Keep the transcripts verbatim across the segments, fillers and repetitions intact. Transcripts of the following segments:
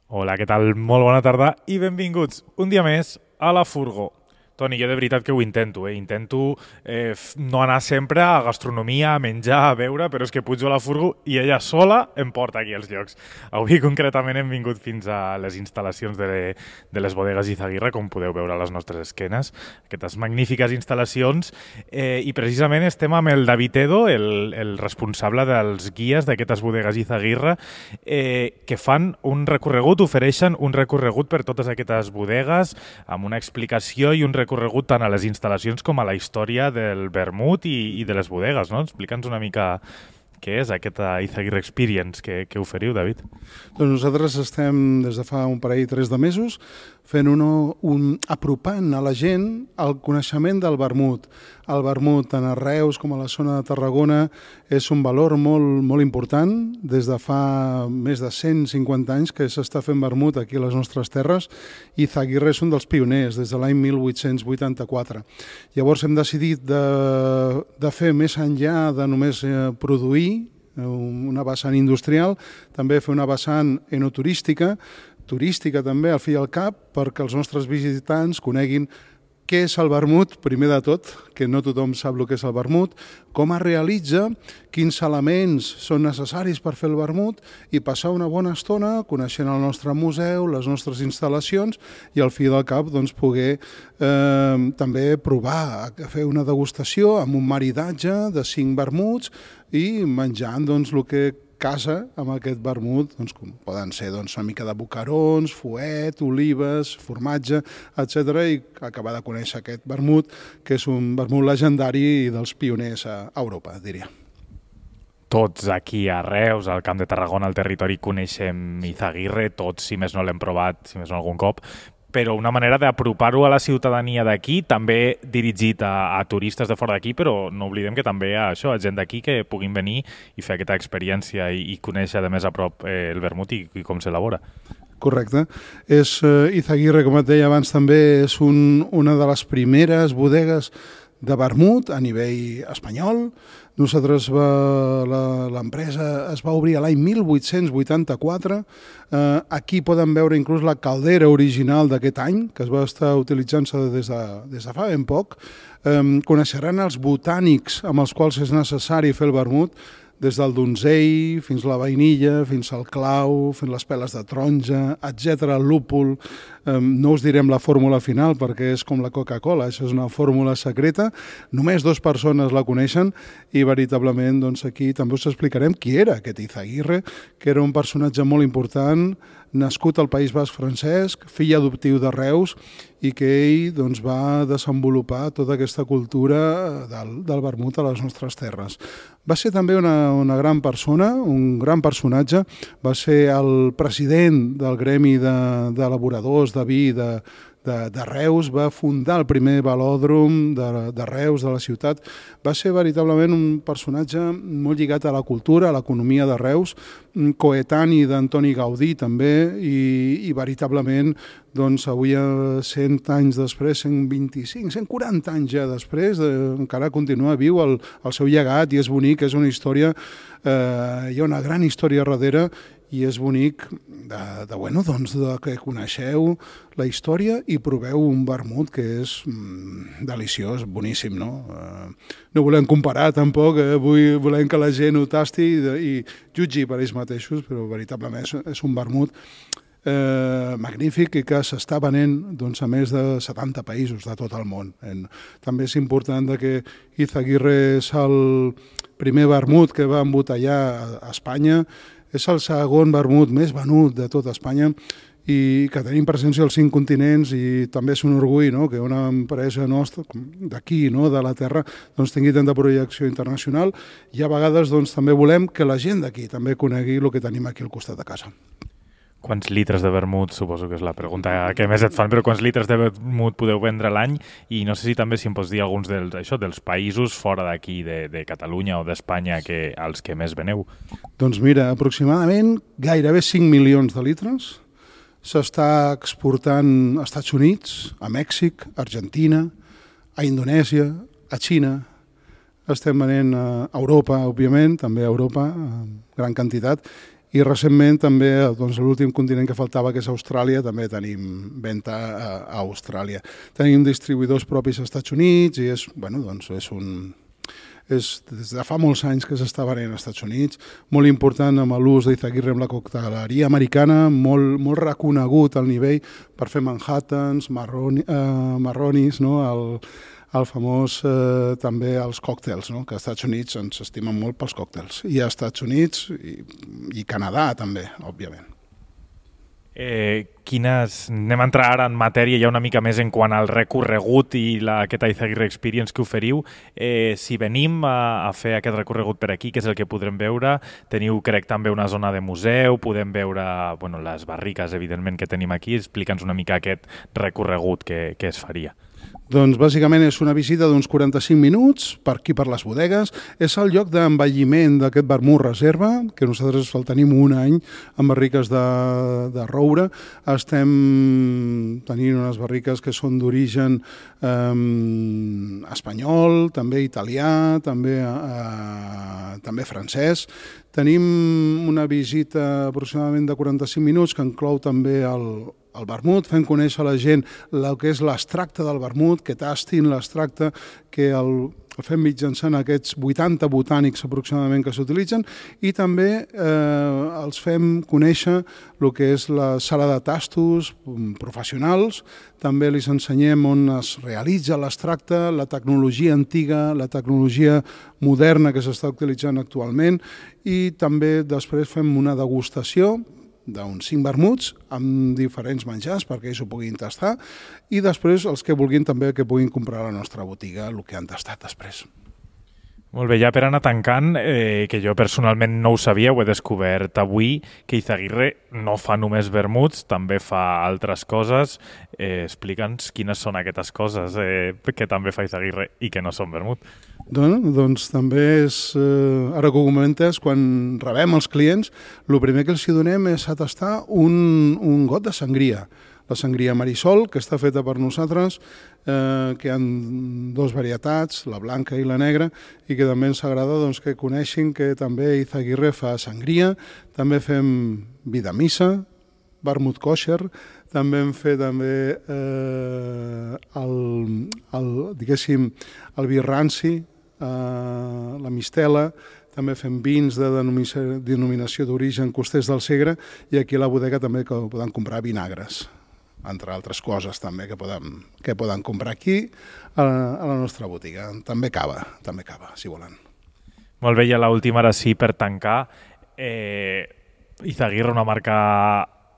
Hola, què tal? Molt bona tarda i benvinguts un dia més a la Furgo. Toni, jo de veritat que ho intento, eh? Intento eh, no anar sempre a gastronomia, a menjar, a beure, però és que pujo a la Furgo i ella sola em porta aquí als llocs. Avui concretament hem vingut fins a les instal·lacions de, de les bodegues Izaguirre, com podeu veure a les nostres esquenes, aquestes magnífiques instal·lacions, eh, i precisament estem amb el David Edo, el, el responsable dels guies d'aquestes bodegues Izaguirre, eh, que fan un recorregut, ofereixen un recorregut per totes aquestes bodegues, amb una explicació i un recorregut tant a les instal·lacions com a la història del vermut i, i de les bodegues, no? Explica'ns una mica què és aquesta Izaguirre Experience que, que oferiu, David. Doncs nosaltres estem des de fa un parell, tres de mesos, fent uno, un, apropant a la gent el coneixement del vermut. El vermut, tant a Reus com a la zona de Tarragona, és un valor molt, molt important. Des de fa més de cent cinquanta anys que s'està fent vermut aquí a les nostres terres, i Izaguirre és un dels pioners, des de l'any mil vuit-cents vuitanta-quatre. Llavors hem decidit de, de fer més enllà de només eh, produir una vessant industrial, també fer una vessant enoturística, turística també, al fi i al cap, perquè els nostres visitants coneguin què és el vermut, primer de tot, que no tothom sap el que és el vermut, com es realitza, quins elements són necessaris per fer el vermut i passar una bona estona coneixent el nostre museu, les nostres instal·lacions i al fi del cap doncs, poder eh, també provar, fer una degustació amb un maridatge de cinc vermuts i menjant doncs, el que casa amb aquest vermut, doncs, com poden ser doncs, una mica de bocarons, fuet, olives, formatge, etcètera, i acabar de conèixer aquest vermut, que és un vermut legendari dels pioners a Europa, diria. Tots aquí a Reus, al Camp de Tarragona, al territori, coneixem Izaguirre, tots, si més no l'hem provat, si més no algun cop, però una manera d'apropar-ho a la ciutadania d'aquí, també dirigit a, a turistes de fora d'aquí, però no oblidem que també a això, a gent d'aquí que puguin venir i fer aquesta experiència i, i conèixer de més a prop eh, el vermut i, i com s'elabora. Correcte. És, eh, Izaguirre, com et deia abans, també és un, una de les primeres bodegues de vermut a nivell espanyol. Nosaltres, l'empresa es va obrir l'any mil vuit-cents vuitanta-quatre. Eh, aquí poden veure inclús la caldera original d'aquest any, que es va estar utilitzant-se des, de, des de fa ben poc. Eh, coneixeran els botànics amb els quals és necessari fer el vermut, des del donzell fins a la vainilla, fins al clau, fins les peles de taronja, etcètera, el lúpul. No us direm la fórmula final perquè és com la Coca-Cola, això és una fórmula secreta. Només dues persones la coneixen i veritablement doncs, aquí també us explicarem qui era aquest Izaguirre, que era un personatge molt important, nascut al País Basc francès, fill adoptiu de Reus, i que ell doncs, va desenvolupar tota aquesta cultura del, del vermut a les nostres terres. Va ser també una, una gran persona, un gran personatge, va ser el president del gremi d'elaboradors de, de vi de, de, de Reus, va fundar el primer velòdrom de, de Reus, de la ciutat. Va ser veritablement un personatge molt lligat a la cultura, a l'economia de Reus, coetani d'Antoni Gaudí també, i, i veritablement doncs, avui, cent anys després, cent vint-i-cinc, cent quaranta anys ja després, eh, encara continua viu el, el seu llegat i és bonic, és una història, eh, hi ha una gran història darrere i és bonic de, de, bueno, doncs, de que coneixeu la història i proveu un vermut que és mm, deliciós, boníssim, no? Eh, no volem comparar tampoc, eh, vull, volem que la gent ho tasti i, i jutgi per ells mateixos, però veritablement és, és un vermut Eh, magnífic i que s'està venent doncs, a més de setanta països de tot el món. En, també és important de que Izaguirre és el primer vermut que va embotellar a, a Espanya, és el segon vermut més venut de tot Espanya i que tenim presència als cinc continents i també és un orgull, no?, que una empresa nostra d'aquí, no?, de la terra, doncs, tingui tanta projecció internacional i a vegades doncs, també volem que la gent d'aquí també conegui el que tenim aquí al costat de casa. Quants litres de vermut, suposo que és la pregunta que més et fan, però quants litres de vermut podeu vendre l'any? I no sé si també si em pots dir alguns dels, això, dels països fora d'aquí, de, de Catalunya o d'Espanya, que, als que més veneu. Doncs mira, aproximadament gairebé cinc milions de litres. S'està exportant als Estats Units, a Mèxic, a Argentina, a Indonèsia, a Xina. Estem venent a Europa, òbviament, també a Europa, en gran quantitat, I recentment també, doncs, l'últim continent que faltava, que és Austràlia, també tenim venda a, a Austràlia. Tenim distribuïdors propis als Estats Units i és, bueno, doncs és un... És, des de fa molts anys que s'està venent als Estats Units, molt important amb l'ús d'Izaguirre amb la cocteleria americana, molt, molt reconegut al nivell per fer Manhattans, marroni, eh, marronis, no? el, el famós eh, també els còctels, no? Que als Estats Units ens estimen molt pels còctels, i als Estats Units i, i Canadà també, òbviament. Eh, quines... Anem a entrar ara en matèria ja una mica més en quant al recorregut i la, aquesta Izaguirre Experience que oferiu. Eh, si venim a, a fer aquest recorregut per aquí, que és el que podrem veure, teniu, crec, també una zona de museu, podem veure bueno, les barriques, evidentment, que tenim aquí. Explica'ns una mica aquest recorregut que, que es faria. Doncs bàsicament és una visita d'uns quaranta-cinc minuts per aquí per les bodegues. És el lloc d'envelliment d'aquest vermut reserva, que nosaltres el tenim un any amb barriques de, de roure. Estem tenint unes barriques que són d'origen eh, espanyol, també italià, també, eh, també francès. Tenim una visita aproximadament de quaranta-cinc minuts que inclou també el el vermut, fent conèixer a la gent el que és l'extracte del vermut, que tastin l'extracte, que el, el fem mitjançant aquests vuitanta botànics aproximadament que s'utilitzen, i també eh, els fem conèixer el que és la sala de tastos professionals, també els ensenyem on es realitza l'extracte, la tecnologia antiga, la tecnologia moderna que s'està utilitzant actualment, i també després fem una degustació d'uns cinc vermuts amb diferents menjars perquè ells ho puguin tastar, i després els que vulguin també que puguin comprar a la nostra botiga el que han tastat després. Molt bé, ja per anar tancant, eh, que jo personalment no ho sabia, ho he descobert avui, que Izaguirre no fa només vermuts, també fa altres coses. Eh, Explica'ns quines són aquestes coses eh, que també fa Izaguirre i que no són vermut. Doncs, doncs també és, eh, ara que ho comentes, quan rebem els clients, el primer que els hi donem és a tastar un, un got de sangria. La sangria Marisol, que està feta per nosaltres, eh, que hi ha dues varietats, la blanca i la negra, i que també ens agrada doncs, que coneixin que també Izaguirre fa sangria, també fem vida missa, vermut kosher, també hem fet també eh, el, el, diguéssim, el vi ranci, eh, la mistela, també fem vins de denominació d'origen costers del Segre, i aquí a la bodega també que poden comprar vinagres, entre altres coses també que poden, que poden comprar aquí a la, a la nostra botiga. També cava, també cava, si volen. Molt bé, i a l'última, ara sí, per tancar, eh, Izaguirre, una marca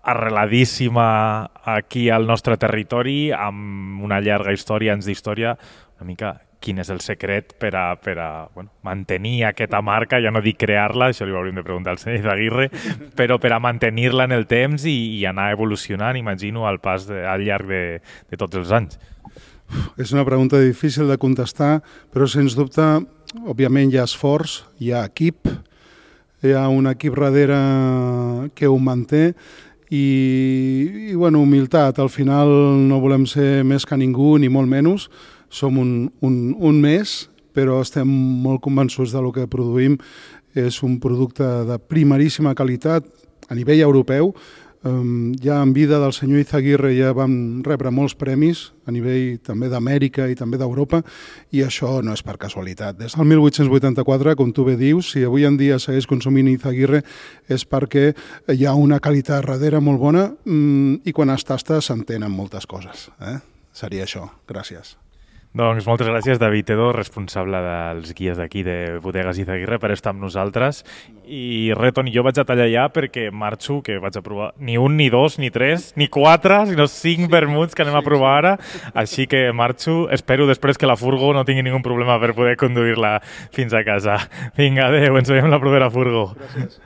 arreladíssima aquí al nostre territori, amb una llarga història, anys d'història, una mica quin és el secret per a, per a bueno, mantenir aquesta marca, ja no dic crear-la, això li hauríem de preguntar al senyor Izaguirre, però per a mantenir-la en el temps i, i anar evolucionant, imagino, al pas de, al llarg de, de tots els anys. És una pregunta difícil de contestar, però sens dubte, òbviament hi ha esforç, hi ha equip, hi ha un equip darrere que ho manté, i, i bueno, humilitat. Al final no volem ser més que ningú, ni molt menys. Som un, un, un més, però estem molt convençuts de lo que produïm. És un producte de primeríssima qualitat a nivell europeu. Um, ja en vida del senyor Izaguirre ja vam rebre molts premis a nivell també d'Amèrica i també d'Europa, i això no és per casualitat. Des del mil vuit-cents vuitanta-quatre, com tu bé dius, si avui en dia segueix consumint Izaguirre és perquè hi ha una qualitat darrere molt bona, um, i quan es tasta s'entenen moltes coses. Eh? Seria això. Gràcies. Doncs moltes gràcies, David Edo, responsable dels guies d'aquí de Bodegues Izaguirre, per estar amb nosaltres. I res, Toni, jo vaig a tallar ja perquè marxo, que vaig a provar ni un, ni dos, ni tres, ni quatre, sinó cinc vermuts que anem a provar ara. Així que marxo. Espero després que la furgo no tingui ningú problema per poder conduir-la fins a casa. Vinga, adéu, ens veiem la propera furgo. Gràcies.